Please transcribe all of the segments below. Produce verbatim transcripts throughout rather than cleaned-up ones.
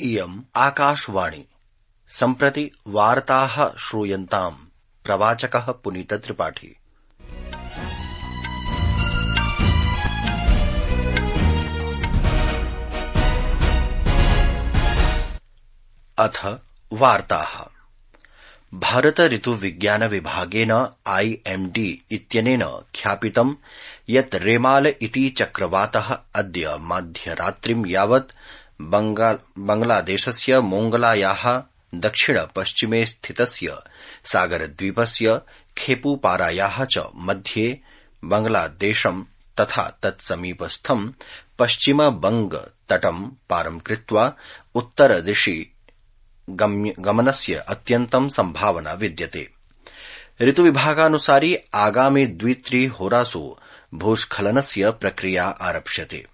इयम् आकाशवाणी। सम्प्रति वार्ताः श्रूयन्ताम्। प्रवाचकः पुनीत त्रिपाठी। अथ वार्ताः। भारत ऋतुविज्ञान विभागेन आईएमडी इत्यनेन ख्यापितं यत् रेमाल इति चक्रवातः अद्य मध्यरात्रिं यावत् बांग्लादेशस्य मोंगलायाः दक्षिण पश्चिमे स्थितस्य सागरद्वीपस्य खेपुपारायाः च मध्ये बांग्लादेशं तथा तत्समीपस्थं पश्चिम बंग तटं पारं कृत्वा उत्तरदिशि गमनस्य अत्यन्तं संभावना विद्यते। ऋतुविभागानुसारि आगामि द्वित्रि होरासु भूस्खलनस्य प्रक्रिया आरप्स्यते।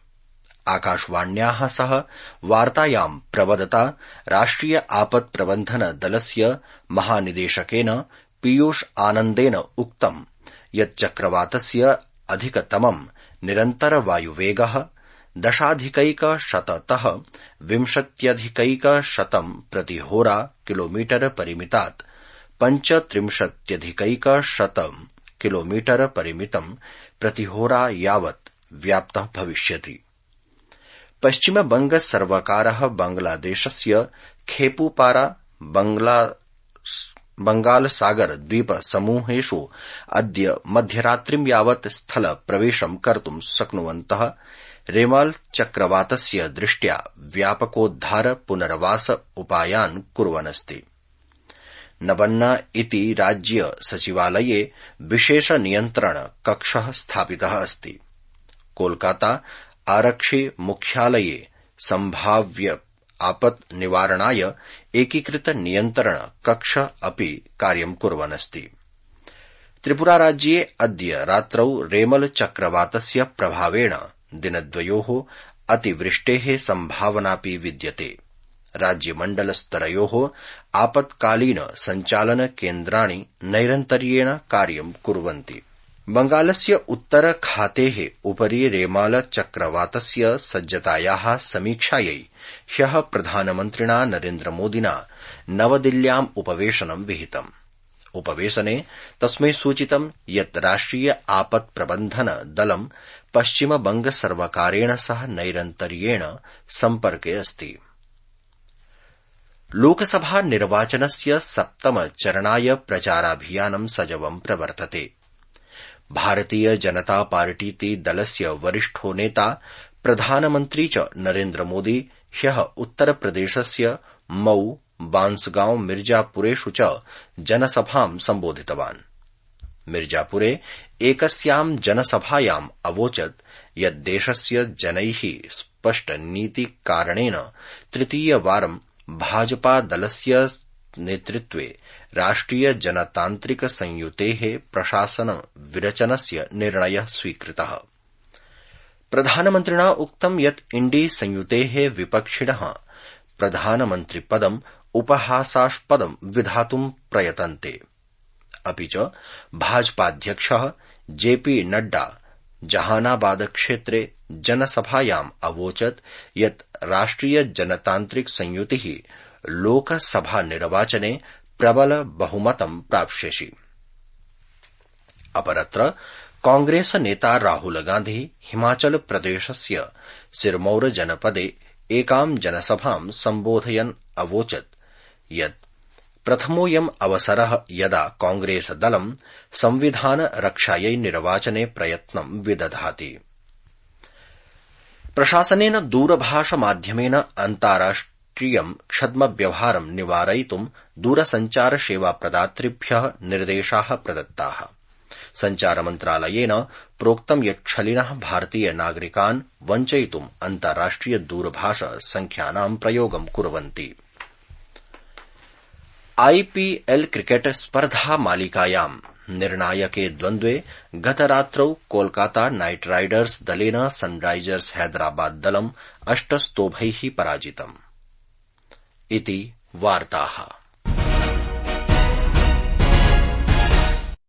आकाशवाण्याः सह वार्तायां प्रवदता राष्ट्रिय आपत् प्रबन्धन दलस्य महानिदेशकेन पीयूष आनन्देन उक्तं यत् चक्रवातस्य अधिकतमं निरन्तर वायुवेगः दशाधिकैकशततः विंशत्यधिकैकशतं प्रतिहोरा किलोमीटर परिमितात् पञ्चत्रिंशत्यधिकैकशतं किलोमीटर परिमितं प्रतिहोरा यावत् व्याप्तः भविष्यति। पश्चिम बंग सर्वकारः बांग्लादेशस्य खेपुपारा बंगालसागर द्वीप समूहेषु अद्य मध्यरात्रिं यावत् स्थल प्रवेशं कर्तुं शक्नुवन्तः रेमाल चक्रवातस्य दृष्ट्या व्यापकोद्धार पुनर्वास उपायान् कुर्वन्नस्ति। नबन्ना इति राज्य सचिवालये विशेष नियन्त्रण कक्षः स्थापितः अस्ति। कोलकाता आरक्षि मुख्यालये सम्भाव्य आपत् निवारणाय एकीकृत नियन्त्रण कक्ष अपि कार्यं कुर्वन्नस्ति। त्रिपुरा राज्ये अद्य रात्रौ रेमल चक्रवातस्य प्रभावेण दिनद्वयोः अतिवृष्टेः सम्भावनापि विद्यते। राज्यमण्डलस्तरयोः आपत्कालीन सञ्चालन केन्द्राणि नैरन्तर्येण कार्यं कुर्वन्ति। बंगालस्य उत्तरखातेः उपरि रेमाल चक्रवातस्य सज्जतायाः समीक्षायै ह्यः प्रधानमन्त्रिणा नरेन्द्रमोदिना नवदिल्ल्याम् उपवेशनं विहितम्। उपवेशने तस्मै सूचितं यत् राष्ट्रिय आपत् प्रबन्धन दलं पश्चिम बंग सर्वकारेण सह नैरन्तर्येण सम्पर्के अस्ति। लोकसभा निर्वाचनस्य सप्तम चरणाय प्रचाराभियानं सजवं प्रवर्तते। भारतीय जनता पार्टीति दलस्य वरिष्ठो नेता प्रधानमन्त्री च नरेन्द्रमोदी ह्यः उत्तरप्रदेशस्य मऊ बांसगांव मिर्जापुरेषु च जनसभां सम्बोधितवान्। मिर्जापुरे एकस्यां जनसभायाम् अवोचत् यत् देशस्य जनैः स्पष्टनीतिकारणेन तृतीयवारं भाजपा दलस्य नेतृत्वे राष्ट्रिय जनतान्त्रिक संयुतेः प्रशासन विरचनस्य निर्णयः स्वीकृतः। प्रधानमन्त्रिणा उक्तं यत् इण्डी संयुतेः विपक्षिणः प्रधानमन्त्रिपदम् उपहासास्पदं विधातुं प्रयतन्ते। अपि च भाजपाध्यक्षः जेपी नड्डा जहानाबाद क्षेत्रे जनसभायाम् अवोचत् यत् राष्ट्रिय जनतान्त्रिक संयुतिः लोकसभा निर्वाचने प्रबल बहुमतं प्राप्स्यति। अपरत्र कांग्रेस नेता राहुल गान्धी हिमाचल प्रदेशस्य सिरमौर जनपदे एकां जनसभां सम्बोधयन् अवोचत् यत् प्रथमोऽयम् अवसरः यदा कांग्रेस दलं संविधान रक्षायै निर्वाचने प्रयत्नं विदधाति। प्रशासनेन दूरभाषमाध्यमेन अन्ताराष्ट्रियं छद्मव्यवहारं निवारयितुं दूरसञ्चार सेवा प्रदातृभ्यः निर्देशाः प्रदत्ताः। सञ्चारमन्त्रालयेन प्रोक्तं यत् छलिनः भारतीय नागरिकान् वञ्चयितुं अन्ताराष्ट्रिय दूरभाष संख्यानां प्रयोगं कुर्वन्ति। आईपीएल क्रिकेट स्पर्धा मालिकायां निर्णायके द्वन्द्वे गतरात्रौ कोलकाता नाइट राइडर्स दलेन सनराइजर्स हैदराबाद दलम् अष्टस्तोभैः पराजितम्। इति वार्ताः।